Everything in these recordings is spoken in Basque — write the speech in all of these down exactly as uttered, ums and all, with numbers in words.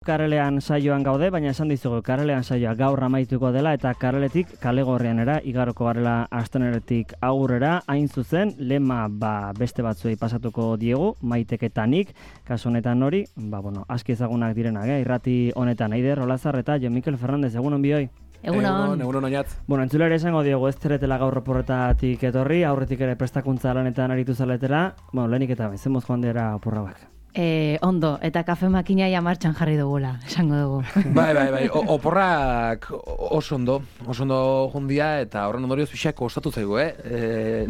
Karelean saioan gaude, baina esan dizugu Karelean saioa gaur amaituko dela eta Kareletik kale gorrianera igaroko garela asteneretik aurrera, hain zuzen lema ba beste batzuei pasatuko diegu, Maiteketanik, kasu honetan hori, ba bueno, aski ezagunak direnak, eh? Irrati honetan Aider Olazar eta Jon Mikel Fernandez, egunon bioi. Egunon, egunon oinatz. Bueno, entzulere esango diogu ez zeretela gaur oporretatik etorri, aurretik ere prestakuntza lanetan aritu zaletera, bueno, lehenik eta bezemoz joan dira oporrauak. Eh, ondo, eta kafe makinaia martxan jarri dugula, esango dugu. Bai, bai, bai, o, oporrak oso ondo, oso ondo jundia, eta horren ondorioz pixak kostatu zaigu, eh? E,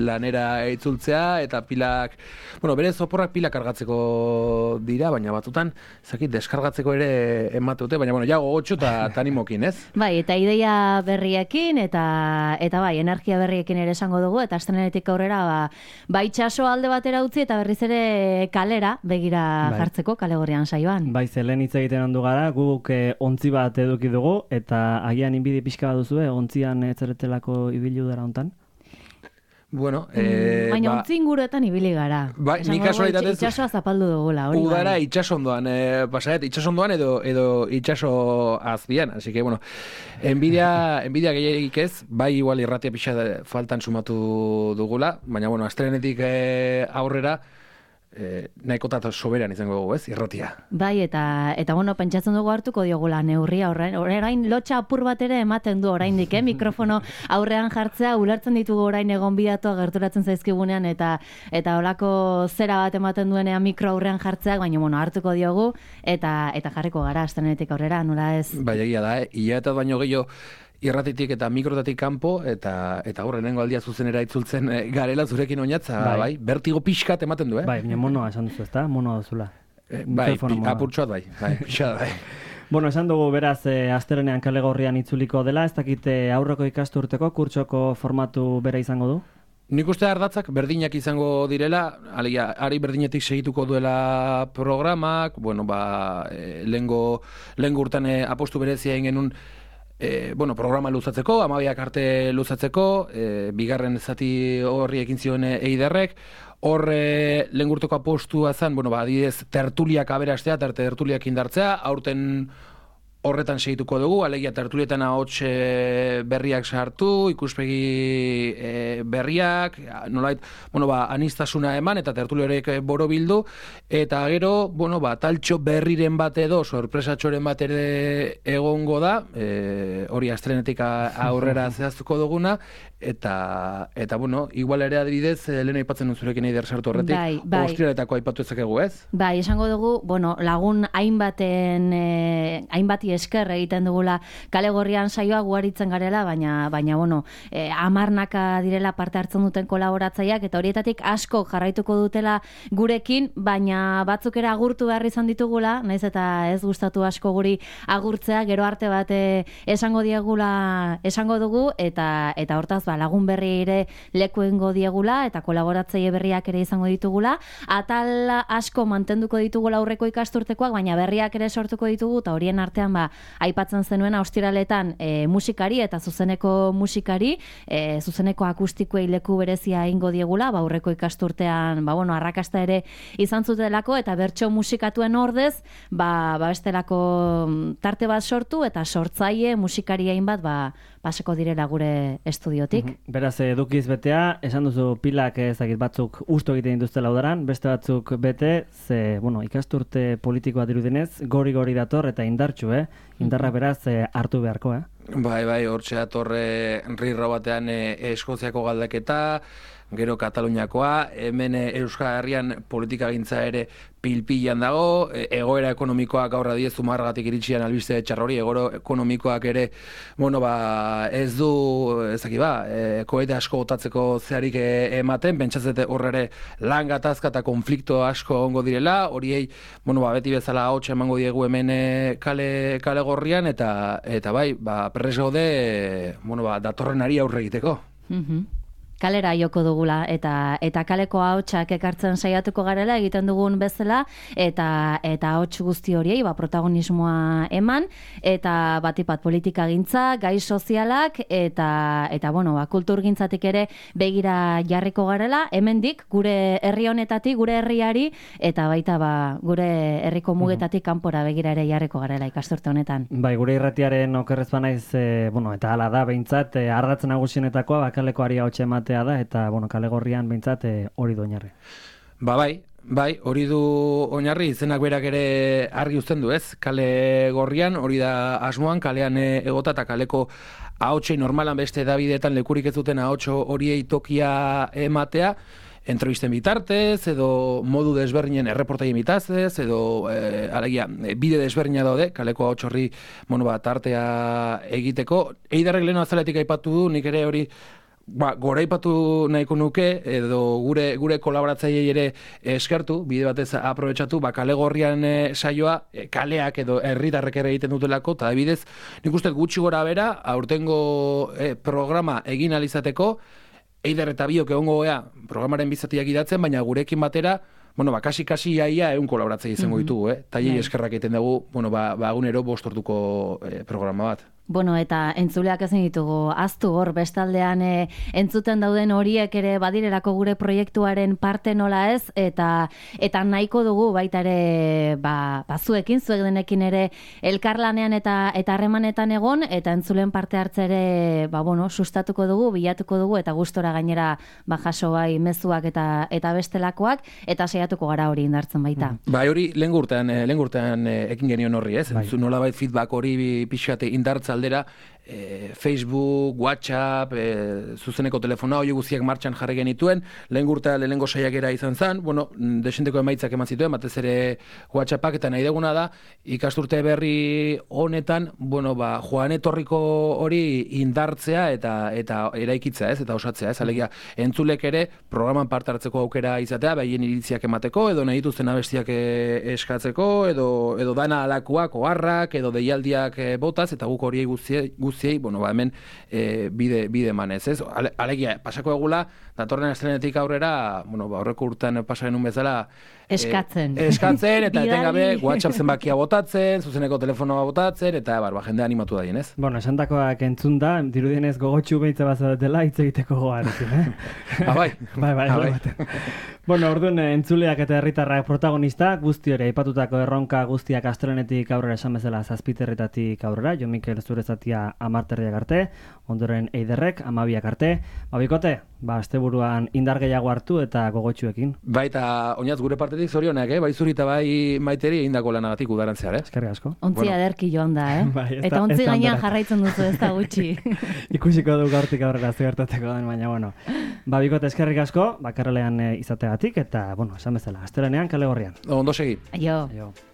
lanera itzultzea, eta pilak, bueno, berez oporrak pilak kargatzeko dira, baina batzutan, zakit, deskargatzeko ere emate dute, baina, bueno, ja gogotxo eta animokin, ez? Bai, eta ideia berriekin, eta eta bai, energia berriekin ere esango dugu, eta astenetik aurrera, ba, ba itxaso alde batera utzi, eta berriz ere kalera, begira bai. Jartzeko kale gorrian saioan. Bai, zelen hitz egiten ondu gara, guk eh, ontzi bat eduki dugu, eta agian inbidi pixka bat duzu, eh, ontzian etzeretelako ibilu dara hontan? Bueno, eh, mm, baina ba, ontzi inguruetan ibili gara. Bai, nik kasualitatez itxasoa zapaldu dugula, hori. Udara bai. itxasondoan, eh, pasaret, itxasondoan edo edo itxaso azbian, así que bueno, envidia envidia gehiagik ez, bai igual irratia pixa faltan sumatu dugula, baina bueno, astelenetik eh, aurrera Eh, nahikotat soberan izango dugu, ez, irratia. Bai, eta eta bueno, pentsatzen dugu hartuko diogula neurria orain, orain lotxa apur bat ere ematen du oraindik, eh, mikrofono aurrean jartzea, ulertzen ditugu orain egon bidatu gerturatzen zaizkigunean eta eta holako zera bat ematen duenean mikro aurrean jartzeak, baina bueno, hartuko diogu eta eta jarriko gara astenetik aurrera, nola ez? Bai, egia da, eh, hilabetat baino gehiago irratitik eta mikrotatik kanpo eta eta aurrenengo aldia zuzenera itzultzen e, garela zurekin oinatza, bai, bai bertigo pixkat ematen du, eh? Bai, baina monoa esan duzu, ezta? Monoa duzula. E, bai, apurtxoat bai, bai, pixat bai. Bueno, esan dugu beraz e, astelenean kale gorrian itzuliko dela, ez dakite aurreko ikasturteko kurtsoko formatu bera izango du? Nik uste ardatzak berdinak izango direla, alegia, ari berdinetik segituko duela programak, bueno, ba, e, lehengo, lehengo urtan e, apostu berezia egin genuen E, bueno, programa luzatzeko, amabiak arte luzatzeko, e, bigarren zati horri ekin zion eiderrek, horre lehen gurteko apostua zen, bueno, ba, adidez, tertuliak aberastea, terte tertuliak indartzea, aurten horretan segituko dugu, alegia tertulietan ahots e, berriak sartu, ikuspegi e, berriak, nolait, bueno, ba, anistasuna eman eta tertuli horiek borobildu, eta gero, bueno, ba, taltxo berriren bat edo, sorpresatxoren bat ere egongo da, e, hori astelenetik aurrera zehaztuko duguna, eta, eta bueno, igual ere adibidez, lehen aipatzen duzurekin eider sartu horretik, bai, bai. Ostrialetako aipatu ezakegu, ez? Bai, esango dugu, bueno, lagun hainbaten, eh, hainbati esker egiten dugula kale gorrian saioa guaritzen garela, baina, baina bueno, eh, amarnaka direla parte hartzen duten kolaboratzaileak, eta horietatik asko jarraituko dutela gurekin, baina batzuk ere agurtu behar izan ditugula, naiz eta ez gustatu asko guri agurtzea, gero arte bat eh, esango diegula, esango dugu, eta eta hortaz ba, lagun berri ere lekuengo diegula, eta kolaboratzaile berriak ere izango ditugula, atal asko mantenduko ditugula aurreko ikasturtekoak, baina berriak ere sortuko ditugu, eta horien artean ba, aipatzen zenuen ostiraletan e, musikari eta zuzeneko musikari, e, zuzeneko akustikoei leku berezia ingo diegula, ba, aurreko ikasturtean, ba, bueno, arrakasta ere izan zutelako, eta bertso musikatuen ordez, ba, ba bestelako tarte bat sortu, eta sortzaile musikari hainbat, ba, paseko direla gure estudiotik. Mm-hmm. Beraz, edukiz betea, esan duzu pilak ezagit batzuk usto egiten dituztela udaran, beste batzuk bete, ze, bueno, ikasturte politikoa dirudenez, gori-gori dator eta indartxu, eh? Indarra beraz eh, hartu beharko, eh? Bai, bai, hortxe datorre rirro batean e, Eskoziako galdeketa, gero Kataluniakoa, hemen Euskal Herrian politikagintza ere pilpilan dago, egoera ekonomikoa gaur adiezu margatik iritsian albiste txarrori, egoera ekonomikoak ere, bueno, ba, ez du, ezaki ba, e, koete asko botatzeko zeharik ematen, pentsatzete horre lan gatazka eta konflikto asko ongo direla, horiei, bueno, ba, beti bezala hotxa emango diegu hemen kale, kale gorrian, eta, eta bai, ba, perrez gaude, bueno, ba, datorren ari aurre egiteko. Mhm. kalera joko dugula, eta eta kaleko ahotsak ekartzen saiatuko garela egiten dugun bezala, eta eta ahots guzti horiei ba, protagonismoa eman, eta batipat politikagintza, gai sozialak, eta eta bueno, ba, kulturgintzatik ere begira jarriko garela, hemendik gure herri honetatik, gure herriari, eta baita ba, gure herriko mugetatik kanpora begira ere jarriko garela ikasturte honetan. Bai, gure irratiaren okerrez banaiz, e, bueno, eta hala da behintzat, e, ardatz nagusienetakoa ba, kalekoari ahotsa ematea da, eta bueno, kale gorrian behintzat e, hori du oinarri. Ba bai, bai, hori du oinarri, izenak berak ere argi uzten du, ez? Kale gorrian, hori da asmoan, kalean egota eta kaleko ahotsei normalan beste Davidetan lekurik ez duten ahotso horiei tokia ematea, entrevisten bitartez, edo modu desberdinen erreportaien bitazez, edo e, alegia, bide desberdina daude, kaleko ahots horri, bueno, ba, tartea egiteko. Eiderrek leheno azaletik aipatu du, nik ere hori ba, goraipatu nahiko nuke, edo gure gure kolaboratzaileei ere eskertu, bide batez aprobetxatu, ba, kale gorrian e, saioa, e, kaleak edo herritarrek ere egiten dutelako, eta bidez, nik uste gutxi gora bera, aurtengo e, programa egin alizateko, Eider eta biok egongo gea programaren bizatiak idatzen, baina gurekin batera, bueno, ba, kasi-kasi iaia egun kolaboratzea izango ditugu, eh? Taiei eskerrak egiten dugu, bueno, ba, ba egunero bostortuko eh, programa bat. Bueno, eta entzuleak ezin ditugu aztu hor bestaldean e, entzuten dauden horiek ere badirelako gure proiektuaren parte nola ez, eta eta nahiko dugu baita ere ba, bazuekin, zuek denekin ere elkarlanean eta eta harremanetan egon, eta entzulen parte hartze ere ba, bueno, sustatuko dugu, bilatuko dugu, eta gustora gainera ba, jaso bai mezuak eta eta bestelakoak, eta saiatuko gara hori indartzen baita. Mm. Bai, hori lehen urtean, lehen urtean ekin genion horri, ez? Bai. Nolabait feedback hori pixkate indartza aldera, e, Facebook, WhatsApp, e, zuzeneko telefona, hori guztiak martxan jarri genituen, lehen gurta lehenengo saiakera izan zen, bueno, desenteko emaitzak eman zituen, batez ere WhatsAppak, eta nahi deguna da, ikasturte berri honetan, bueno, ba, joan etorriko hori indartzea eta eta eraikitzea, ez, eta osatzea, ez, alegia, entzulek ere programan parte hartzeko aukera izatea, behien iritziak emateko, edo nahi dituzten abestiak eskatzeko, edo, edo dana alakoak, oharrak, edo deialdiak botaz, eta guk horiei guztiei, guztiei bueno, ba, hemen e, bide, bide manez, ez? Ale, alegia, pasako egula, datorren astelenetik aurrera, bueno, ba, horreko urtean pasaren un bezala, eskatzen. E, eskatzen, eta etengabe WhatsApp zenbakia botatzen, zuzeneko telefonoa botatzen, eta bar, ba, jendea animatu da ez? Bueno, esandakoak entzun da, dirudienez gogotxu behitza bazatela, hitz egiteko gogarekin, eh? Ah, bai. bai, bai, ah, bai. Bueno, orduan entzuleak eta herritarrak protagonista, guzti hori aipatutako erronka guztiak astelenetik aurrera esan bezala zazpiterretatik aurrera, Jo Mikel zure zatia amarterriak arte, ondoren Eiderrek amabiak arte, babikote, ba, asteburuan indar gehiago hartu eta gogotxuekin. Bai, eta oinaz gure partetik zorionak, eh? Bai zuri eta bai Maiteri egindako lanagatik udarantzear, eh? Eskerrik asko. Ontzi bueno. Aderki joan da, eh? Bai, ez eta da, ontzi ez gainean jarraitzen duzu ez da gutxi. Ikusiko du gaurtik aurrera zegertateko den, baina, bueno. Babikote eskerrik asko, bakarrelean e, izategatik, eta, bueno, esan bezala, astelenean kale gorrian. Ondo segi. Aio. Aio.